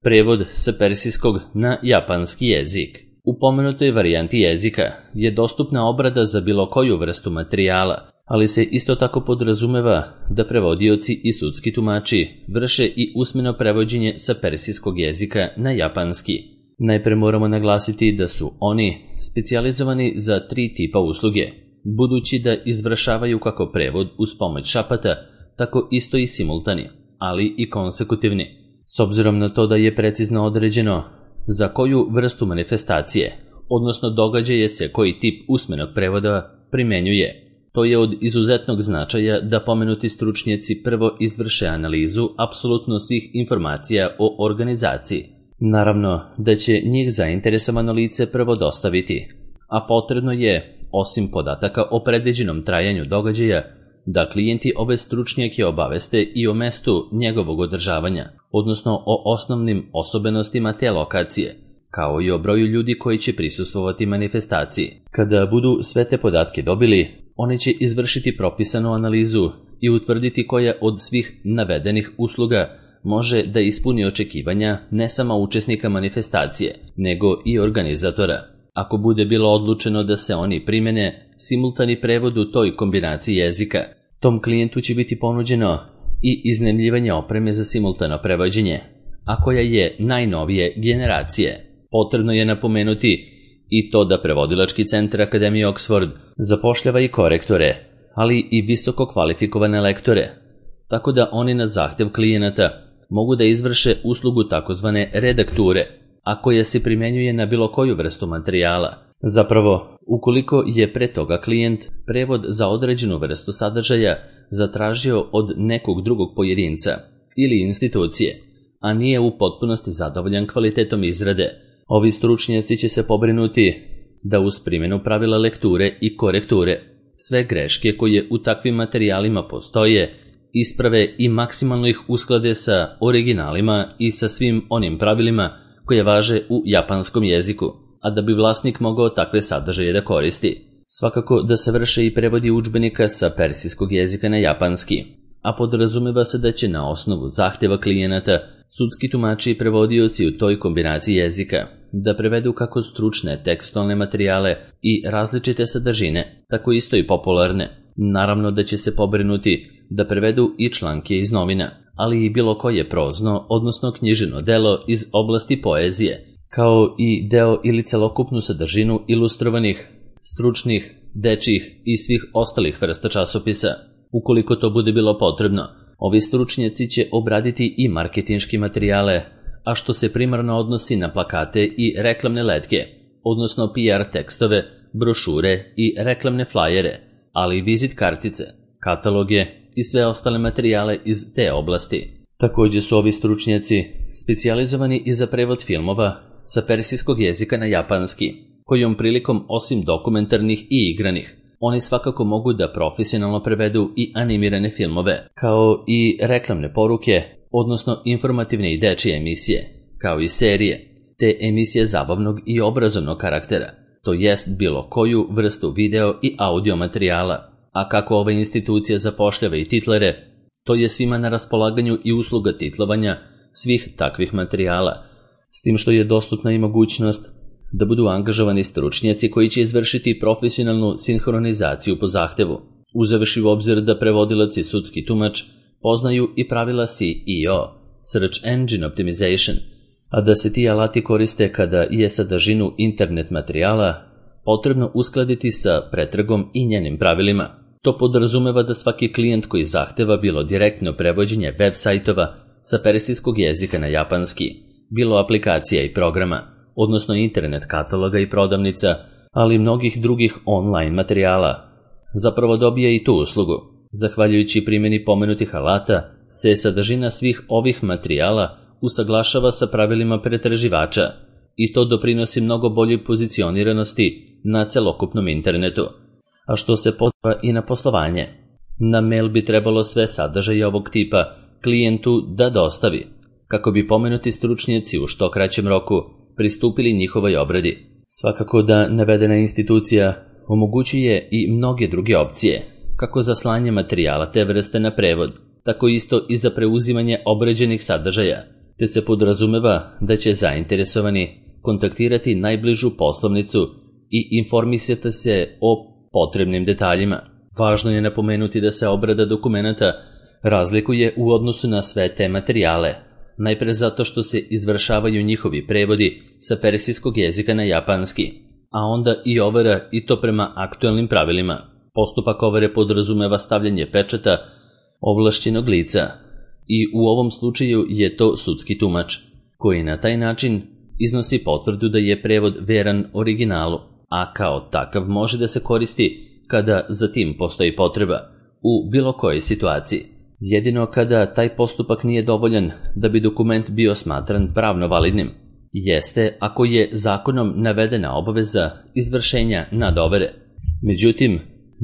Prevod sa persijskog na japanski jezik. U pomenutoj varijanti jezika je dostupna obrada za bilo koju vrstu materijala, ali se isto tako podrazumeva da prevodioci i sudski tumači vrše i usmeno prevođenje sa persijskog jezika na japanski. Najpre moramo naglasiti da su oni specijalizovani za 3 tipa usluge, budući da izvršavaju kako prevod uz pomoć šapata, tako isto i simultani, ali i konsekutivni. S obzirom na to da je precizno određeno za koju vrstu manifestacije, odnosno događaje se koji tip usmenog prevoda primenjuje, to je od izuzetnog značaja da pomenuti stručnjaci prvo izvrše analizu apsolutno svih informacija o organizaciji. Naravno da će njih zainteresovano lice prvo dostaviti, a potrebno je, osim podataka o predviđenom trajanju događaja, da klijenti ove stručnjake obaveste i o mestu njegovog održavanja, odnosno o osnovnim osobenostima te lokacije, kao i o broju ljudi koji će prisustvovati manifestaciji. Kada budu sve te podatke dobili, oni će izvršiti propisanu analizu i utvrditi koja od svih navedenih usluga može da ispuni očekivanja ne samo učesnika manifestacije, nego i organizatora. Ako bude bilo odlučeno da se oni primene simultani prevod u toj kombinaciji jezika, tom klijentu će biti ponuđeno i iznajmljivanje opreme za simultano prevođenje, a koja je najnovije generacije. Potrebno je napomenuti i to da prevodilački centar Akademije Oxford zapošljava i korektore, ali i visoko kvalifikovane lektore, tako da oni na zahtev klijenata mogu da izvrše uslugu takozvane redakture, a koja se primenjuje na bilo koju vrstu materijala. Zapravo, ukoliko je pre toga klijent prevod za određenu vrstu sadržaja zatražio od nekog drugog pojedinca ili institucije, a nije u potpunosti zadovoljan kvalitetom izrade, ovi stručnjaci će se pobrinuti da uz primjenu pravila lekture i korekture sve greške koje u takvim materijalima postoje isprave i maksimalno ih usklade sa originalima i sa svim onim pravilima koje važe u japanskom jeziku, a da bi vlasnik mogao takve sadržaje da koristi. Svakako da se vrše i prevodi udžbenika sa persijskog jezika na japanski, a podrazumeva se da će na osnovu zahtjeva klijenata sudski tumači i prevodioci u toj kombinaciji jezika da prevedu kako stručne tekstualne materijale i različite sadržine, tako isto i popularne. Naravno da će se pobrinuti da prevedu i članke iz novina, ali i bilo koje prozno, odnosno knjiženo delo iz oblasti poezije, kao i deo ili celokupnu sadržinu ilustrovanih, stručnih, dečjih i svih ostalih vrsta časopisa. Ukoliko to bude bilo potrebno, ovi stručnjaci će obraditi i marketinške materijale, a što se primarno odnosi na plakate i reklamne letke, odnosno PR tekstove, brošure i reklamne flajere, ali i vizit kartice, kataloge i sve ostale materijale iz te oblasti. Također su ovi stručnjaci specijalizovani i za prevod filmova sa persijskog jezika na japanski, kojom prilikom osim dokumentarnih i igranih, oni svakako mogu da profesionalno prevedu i animirane filmove, kao i reklamne poruke, odnosno informativne i dečije emisije, kao i serije, te emisije zabavnog i obrazovnog karaktera, to jest bilo koju vrstu video i audio materijala. A kako ova institucija zapošljava i titlere, to je svima na raspolaganju i usluga titlovanja svih takvih materijala, s tim što je dostupna i mogućnost da budu angažovani stručnjaci koji će izvršiti profesionalnu sinhronizaciju po zahtevu, uzevši u obzir da prevodilac i sudski tumač poznaju i pravila SEO, Search Engine Optimization, a da se ti alati koriste kada je sadržinu internet materijala potrebno uskladiti sa pretragom i njenim pravilima. To podrazumeva da svaki klijent koji zahteva bilo direktno prevođenje web sajtova sa persijskog jezika na japanski, bilo aplikacija i programa, odnosno internet kataloga i prodavnica, ali i mnogih drugih online materijala, zapravo dobije i tu uslugu. Zahvaljujući primjeni pomenutih alata, se sadržina svih ovih materijala usaglašava sa pravilima pretraživača i to doprinosi mnogo boljoj pozicioniranosti na celokupnom internetu, a što se poziva i na poslovanje. Na mail bi trebalo sve sadržaje ovog tipa klijentu da dostavi, kako bi pomenuti stručnjaci u što kraćem roku pristupili njihovoj obradi. Svakako da navedena institucija omogućuje i mnoge druge opcije, kako za slanje materijala te vrste na prevod, tako isto i za preuzimanje obrađenih sadržaja, te se podrazumeva da će zainteresovani kontaktirati najbližu poslovnicu i informisati se o potrebnim detaljima. Važno je napomenuti da se obrada dokumenata razlikuje u odnosu na sve te materijale, najpre zato što se izvršavaju njihovi prevodi sa persijskog jezika na japanski, a onda i overa, i to prema aktuelnim pravilima. Postupak overe podrazumeva stavljanje pečata ovlašćenog lica i u ovom slučaju je to sudski tumač, koji na taj način iznosi potvrdu da je prevod veran originalu, a kao takav može da se koristi kada za tim postoji potreba, u bilo kojoj situaciji. Jedino kada taj postupak nije dovoljan da bi dokument bio smatran pravno validnim, jeste ako je zakonom navedena obaveza izvršenja nadovere. Međutim,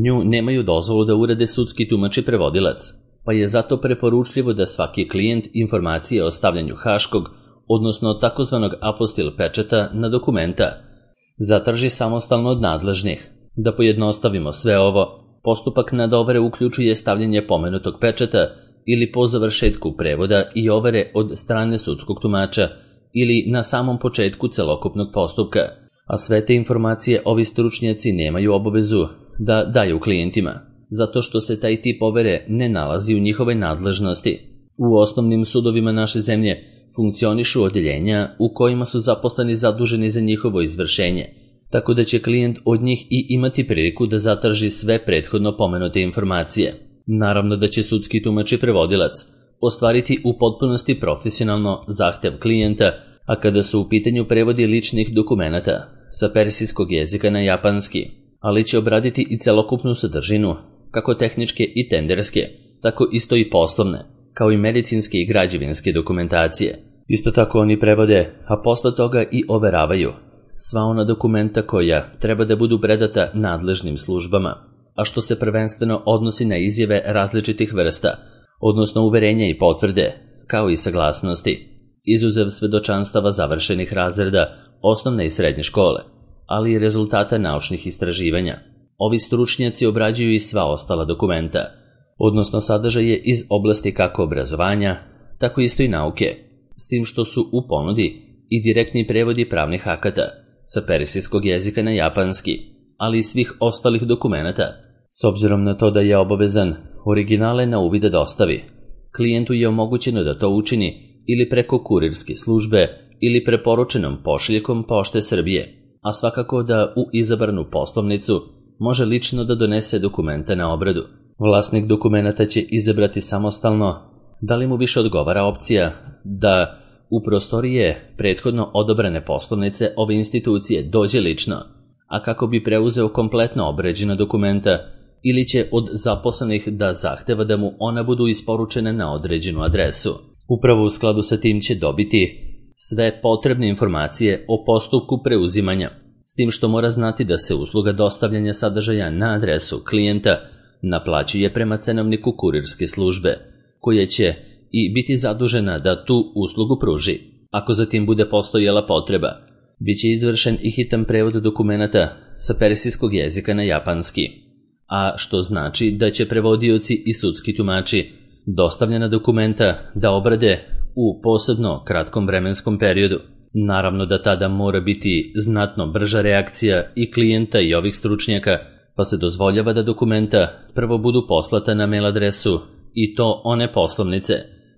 nju nemaju dozvolu da urade sudski tumač i prevodilac, pa je zato preporučljivo da svaki klijent informacije o stavljanju haškog, odnosno takozvanog apostil pečata na dokumenta, zatraži samostalno od nadležnih. Da pojednostavimo sve ovo, postupak nadovere uključuje stavljanje pomenutog pečata ili po završetku prevoda i overe od strane sudskog tumača ili na samom početku celokupnog postupka, a sve te informacije ovi stručnjaci nemaju obavezu da daju klijentima, zato što se taj tip overe ne nalazi u njihove nadležnosti. U osnovnim sudovima naše zemlje funkcionišu odeljenja u kojima su zaposleni zaduženi za njihovo izvršenje, tako da će klijent od njih i imati priliku da zatraži sve prethodno pomenute informacije. Naravno da će sudski tumač i prevodilac ostvariti u potpunosti profesionalno zahtev klijenta, a kada su u pitanju prevodi ličnih dokumenata sa persijskog jezika na japanski, ali će obraditi i celokupnu sadržinu, kako tehničke i tenderske, tako isto i poslovne, kao i medicinske i građevinske dokumentacije. Isto tako oni prevode, a posle toga i overavaju sva ona dokumenta koja treba da budu predata nadležnim službama, a što se prvenstveno odnosi na izjave različitih vrsta, odnosno uverenja i potvrde, kao i saglasnosti, izuzev svedočanstava završenih razreda osnovne i srednje škole, ali i rezultata naučnih istraživanja. Ovi stručnjaci obrađuju i sva ostala dokumenta, odnosno sadržaje iz oblasti kako obrazovanja, tako isto i nauke, s tim što su u ponudi i direktni prevodi pravnih akata sa persijskog jezika na japanski, ali i svih ostalih dokumenata. S obzirom na to da je obavezan originale na uvid da dostavi, klijentu je omogućeno da to učini ili preko kurirske službe ili preporučenom pošiljkom Pošte Srbije, a svakako da u izabranu poslovnicu može lično da donese dokumenta na obradu. Vlasnik dokumenata će izabrati samostalno da li mu više odgovara opcija da u prostorije prethodno odobrene poslovnice ove institucije dođe lično, a kako bi preuzeo kompletno obrađena dokumenta, ili će od zaposlenih da zahteva da mu ona budu isporučene na određenu adresu. Upravo u skladu sa tim će dobiti sve potrebne informacije o postupku preuzimanja, s tim što mora znati da se usluga dostavljanja sadržaja na adresu klijenta naplaćuje prema cenovniku kurirske službe, koja će i biti zadužena da tu uslugu pruži. Ako za tim bude postojala potreba, bit će izvršen i hitan prevod dokumenata sa persijskog jezika na japanski, a što znači da će prevodioci i sudski tumači dostavljena dokumenta da obrade u posebno kratkom vremenskom periodu. Naravno da tada mora biti znatno brža reakcija i klijenta i ovih stručnjaka, pa se dozvoljava da dokumenta prvo budu poslata na mail adresu i to one poslovnice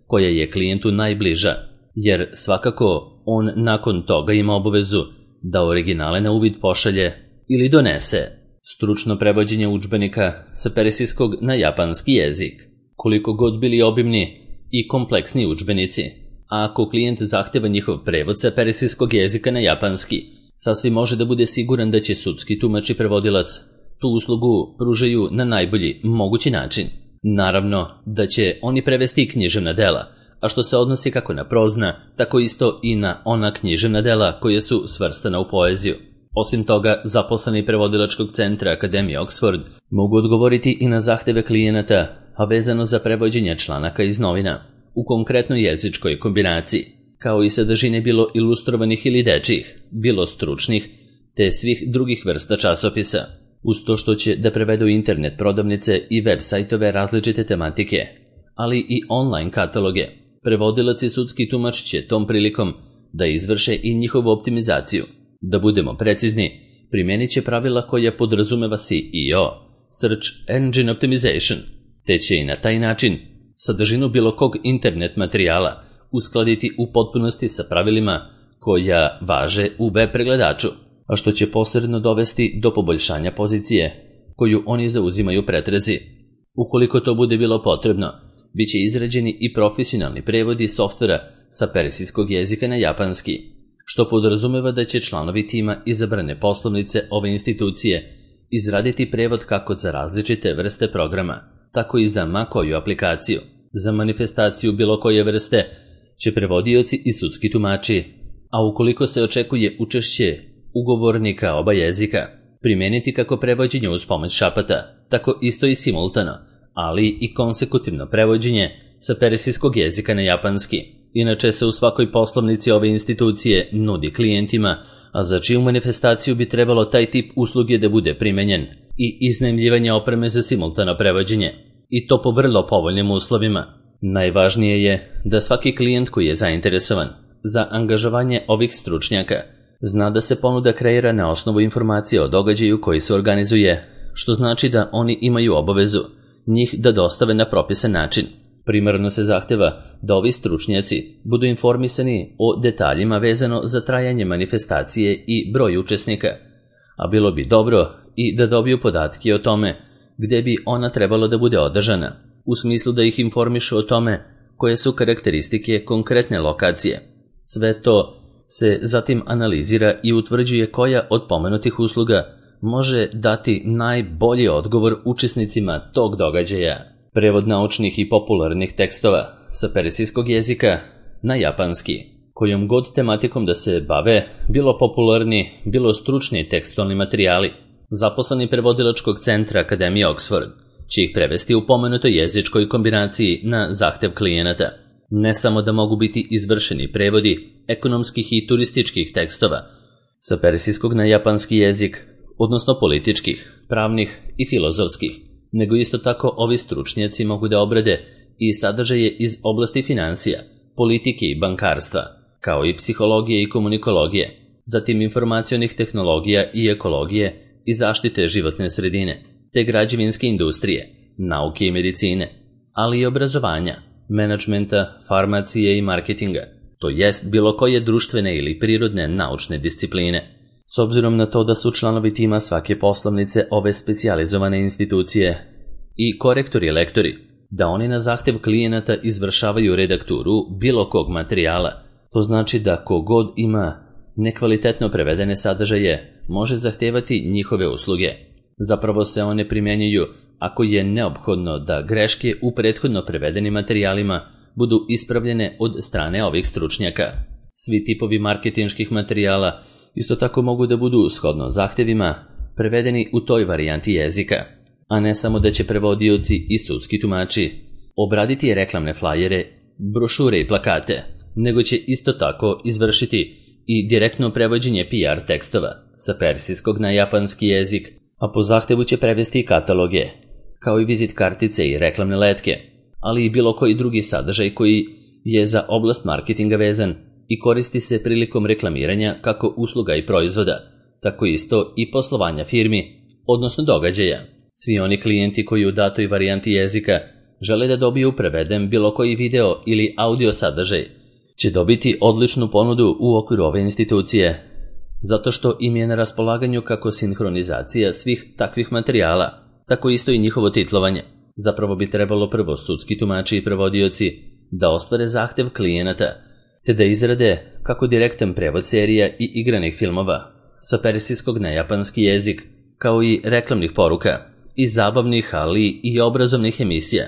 koja je klijentu najbliža, jer svakako on nakon toga ima obavezu da originale na uvid pošalje ili donese. Stručno prevođenje udžbenika sa persijskog na japanski jezik, koliko god bili obimni i kompleksni udžbenici, a ako klijent zahteva njihov prevod sa persijskog jezika na japanski, sasvim može da bude siguran da će sudski tumač i prevodilac tu uslugu pružaju na najbolji mogući način. Naravno da će oni prevesti i književna dela, a što se odnosi kako na prozna, tako isto i na ona književna dela koja su svrstana u poeziju. Osim toga, zaposleni prevodilačkog centra Akademije Oxford mogu odgovoriti i na zahteve klijenata, a vezano za prevođenje članaka iz novina, u konkretnoj jezičkoj kombinaciji, kao i sadržine bilo ilustrovanih ili dečjih, bilo stručnih, te svih drugih vrsta časopisa, uz to što će da prevedu internet prodavnice i web sajtove različite tematike, ali i online kataloge, prevodilac i sudski tumač će tom prilikom da izvrše i njihovu optimizaciju. Da budemo precizni, primenit će pravila koja podrazumeva SEO, Search Engine Optimization, te će i na taj način sadržinu bilo kog internet materijala uskladiti u potpunosti sa pravilima koja važe u web pregledaču, a što će posredno dovesti do poboljšanja pozicije koju oni zauzimaju pretrezi. Ukoliko to bude bilo potrebno, bit će izrađeni i profesionalni prevodi softvera sa persijskog jezika na japanski, što podrazumeva da će članovi tima izabrane poslovnice ove institucije izraditi prevod kako za različite vrste programa, tako i za ma koju aplikaciju. Za manifestaciju bilo koje vrste će prevodioci i sudski tumači, a ukoliko se očekuje učešće ugovornika oba jezika, primeniti kako prevođenje uz pomoć šapata, tako isto i simultano, ali i konsekutivno prevođenje sa persijskog jezika na japanski. Inače se u svakoj poslovnici ove institucije nudi klijentima, a za čiju manifestaciju bi trebalo taj tip usluge da bude primenjen, i iznajmljivanje opreme za simultano prevođenje, i to po vrlo povoljnim uslovima. Najvažnije je da svaki klijent koji je zainteresovan za angažovanje ovih stručnjaka zna da se ponuda kreira na osnovu informacije o događaju koji se organizuje, što znači da oni imaju obavezu njih da dostave na propisan način. Primarno se zahteva da ovi stručnjaci budu informisani o detaljima vezano za trajanje manifestacije i broj učesnika, a bilo bi dobro i da dobiju podatke o tome gde bi ona trebalo da bude održana, u smislu da ih informišu o tome koje su karakteristike konkretne lokacije. Sve to se zatim analizira i utvrđuje koja od pomenutih usluga može dati najbolji odgovor učesnicima tog događaja. Prevod naučnih i popularnih tekstova sa persijskog jezika na japanski, kojom god tematikom da se bave, bilo popularni, bilo stručni tekstualni materijali. Zaposleni prevodilačkog centra Akademije Oxford će ih prevesti u pomenutoj jezičkoj kombinaciji na zahtev klijenata. Ne samo da mogu biti izvršeni prevodi ekonomskih i turističkih tekstova sa persijskog na japanski jezik, odnosno političkih, pravnih i filozofskih, nego isto tako ovi stručnjaci mogu da obrade i sadržaje iz oblasti financija, politike i bankarstva, kao i psihologije i komunikologije, zatim informacionih tehnologija i ekologije i zaštite životne sredine, te građevinske industrije, nauke i medicine, ali i obrazovanja, menadžmenta, farmacije i marketinga, to jest bilo koje društvene ili prirodne naučne discipline. S obzirom na to da su članovi tima svake poslovnice ove specijalizovane institucije i korektori i lektori, da oni na zahtev klijenata izvršavaju redakturu bilo kog materijala, to znači da kogod ima nekvalitetno prevedene sadržaje može zahtevati njihove usluge. Zapravo se one primjenjuju ako je neophodno da greške u prethodno prevedenim materijalima budu ispravljene od strane ovih stručnjaka. Svi tipovi marketinških materijala isto tako mogu da budu shodno zahtevima prevedeni u toj varijanti jezika, a ne samo da će prevodioci i sudski tumači obraditi reklamne flajere, brošure i plakate, nego će isto tako izvršiti i direktno prevođenje PR tekstova sa persijskog na japanski jezik, a po zahtevu će prevesti i kataloge, kao i vizit kartice i reklamne letke, ali i bilo koji drugi sadržaj koji je za oblast marketinga vezan i koristi se prilikom reklamiranja kako usluga i proizvoda, tako isto i poslovanja firmi, odnosno događaja. Svi oni klijenti koji u datoj varijanti jezika žele da dobiju preveden bilo koji video ili audio sadržaj, će dobiti odličnu ponudu u okviru ove institucije, zato što im je na raspolaganju kako sinhronizacija svih takvih materijala, tako isto i njihovo titlovanje. Zapravo bi trebalo prvo sudski tumači i prevodioci da ostvare zahtev klijenata, te da izrade kako direktan prevod serija i igranih filmova sa persijskog na japanski jezik, kao i reklamnih poruka i zabavnih, ali i obrazovnih emisija,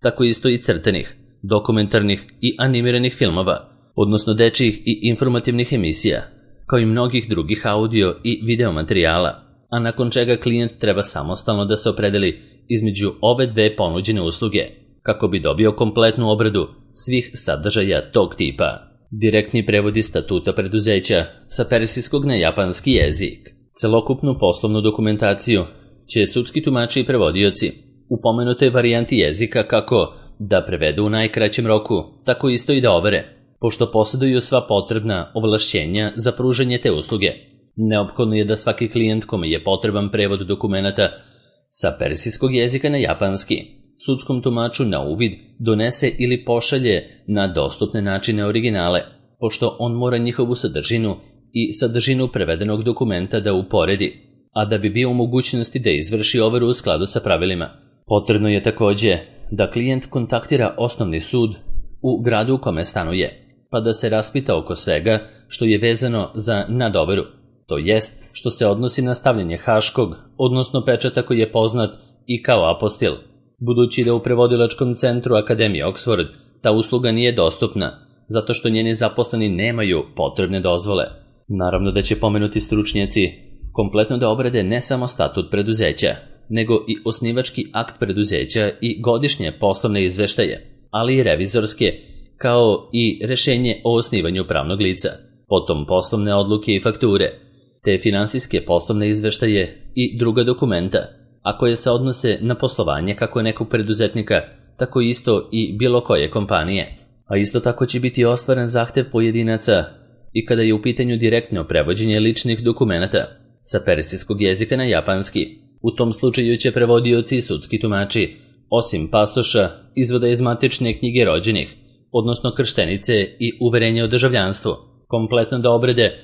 tako isto i crtenih, dokumentarnih i animiranih filmova, odnosno dečjih i informativnih emisija, kao i mnogih drugih audio i video materijala, a nakon čega klijent treba samostalno da se opredeli između ove dve ponuđene usluge, kako bi dobio kompletnu obradu svih sadržaja tog tipa. Direktni prevodi statuta preduzeća sa persijskog na japanski jezik. Celokupnu poslovnu dokumentaciju će sudski tumači i prevodioci u pomenutoj varijanti jezika kako da prevedu u najkraćem roku, tako isto i da overe, pošto posjeduju sva potrebna ovlašćenja za pružanje te usluge. Neophodno je da svaki klijent kome je potreban prevod dokumenata sa persijskog jezika na japanski sudskom tumaču na uvid donese ili pošalje na dostupne načine originale, pošto on mora njihovu sadržinu i sadržinu prevedenog dokumenta da uporedi, a da bi bio u mogućnosti da izvrši overu u skladu sa pravilima. Potrebno je takođe da klijent kontaktira osnovni sud u gradu u kome stanuje, pa da se raspita oko svega što je vezano za nadoveru, to jest što se odnosi na stavljanje haškog, odnosno pečata koji je poznat i kao apostil. Budući da u prevodilačkom centru Akademije Oxford ta usluga nije dostupna, zato što njeni zaposleni nemaju potrebne dozvole. Naravno da će pomenuti stručnjaci kompletno da obrade ne samo statut preduzeća, nego i osnivački akt preduzeća i godišnje poslovne izveštaje, ali i revizorske, kao i rešenje o osnivanju pravnog lica, potom poslovne odluke i fakture, te finansijske poslovne izveštaje i druga dokumenta, a koje se odnose na poslovanje kako nekog preduzetnika, tako isto i bilo koje kompanije. A isto tako će biti ostvaren zahtev pojedinaca i kada je u pitanju direktno prevođenje ličnih dokumenata sa persijskog jezika na japanski. U tom slučaju će prevodioci i sudski tumači, osim pasoša, izvoda iz matične knjige rođenih, odnosno krštenice i uverenja o državljanstvu, kompletno da obrede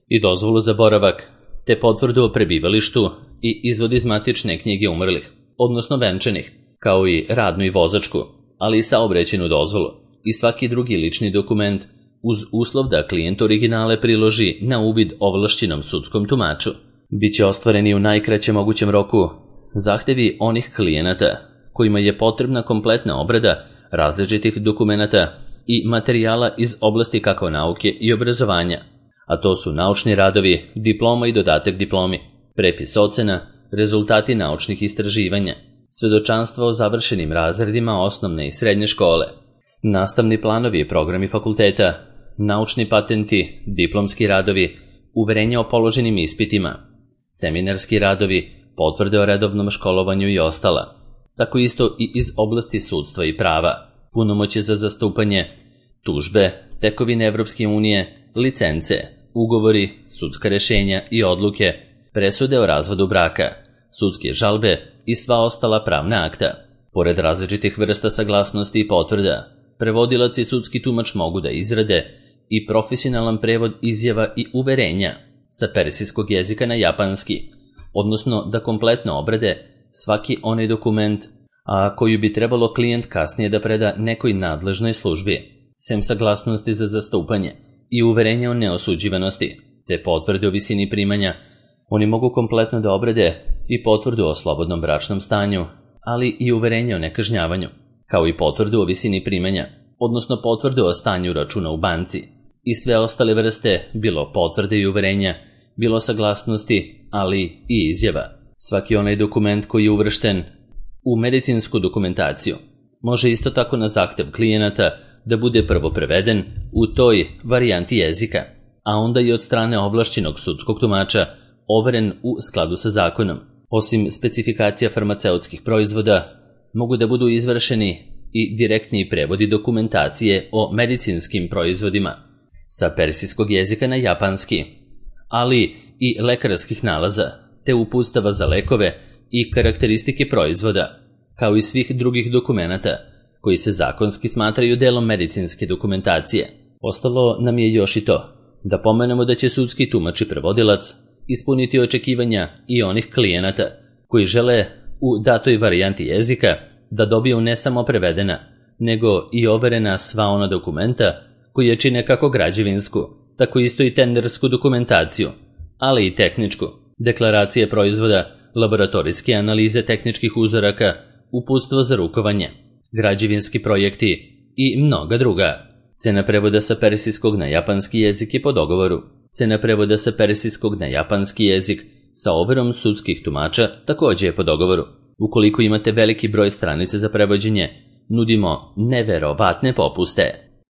i dozvolu za boravak, te potvrdu o prebivalištu i izvod iz matične knjige umrlih, odnosno venčanih, kao i radnu i vozačku, ali i saobraćajnu dozvolu i svaki drugi lični dokument uz uslov da klijent originale priloži na uvid ovlašćenom sudskom tumaču. Biće ostvareni u najkraćem mogućem roku zahtevi onih klijenata kojima je potrebna kompletna obrada različitih dokumenata i materijala iz oblasti kako nauke i obrazovanja, a to su naučni radovi, diploma i dodatak diplomi, prepis ocena, rezultati naučnih istraživanja, svedočanstva o završenim razredima osnovne i srednje škole, nastavni planovi i programi fakulteta, naučni patenti, diplomski radovi, uverenja o položenim ispitima, seminarski radovi, potvrde o redovnom školovanju i ostala. Tako isto i iz oblasti sudstva i prava, punomoće za zastupanje, tužbe, tekovine Evropske unije, licence, ugovori, sudska rešenja i odluke, presude o razvodu braka, sudske žalbe i sva ostala pravna akta. Pored različitih vrsta saglasnosti i potvrda, prevodilac i sudski tumač mogu da izrade i profesionalan prevod izjava i uverenja sa persijskog jezika na japanski, odnosno da kompletno obrade svaki onaj dokument, a koju bi trebalo klijent kasnije da preda nekoj nadležnoj službi, sem saglasnosti za zastupanje i uverenja o neosuđivanosti, te potvrde o visini primanja. Oni mogu kompletno da obrade i potvrdu o slobodnom bračnom stanju, ali i uverenje o nekažnjavanju, kao i potvrdu o visini primanja, odnosno potvrdu o stanju računa u banci i sve ostale vrste, bilo potvrde i uverenja, bilo saglasnosti, ali i izjava. Svaki onaj dokument koji je uvršten u medicinsku dokumentaciju može isto tako na zahtev klijenata da bude prvo preveden u toj varijanti jezika, a onda i od strane ovlašćenog sudskog tumača overen u skladu sa zakonom. Osim specifikacija farmaceutskih proizvoda, mogu da budu izvršeni i direktni prevodi dokumentacije o medicinskim proizvodima sa persijskog jezika na japanski, ali i lekarskih nalaza, te uputstava za lekove i karakteristike proizvoda, kao i svih drugih dokumenata koji se zakonski smatraju delom medicinske dokumentacije. Ostalo nam je još i to, da pomenemo da će sudski tumač i prevodilac ispuniti očekivanja i onih klijenata koji žele u datoj varijanti jezika da dobiju ne samo prevedena, nego i overena sva ona dokumenta koji čine kako građevinsku, tako isto i tendersku dokumentaciju, ali i tehničku, deklaracije proizvoda, laboratorijske analize tehničkih uzoraka, uputstvo za rukovanje, građevinski projekti i mnoga druga. Cena prevoda sa persijskog na japanski jezik je po dogovoru. Cena prevoda sa persijskog na japanski jezik sa overom sudskih tumača također je po dogovoru. Ukoliko imate veliki broj stranica za prevođenje, nudimo neverovatne popuste.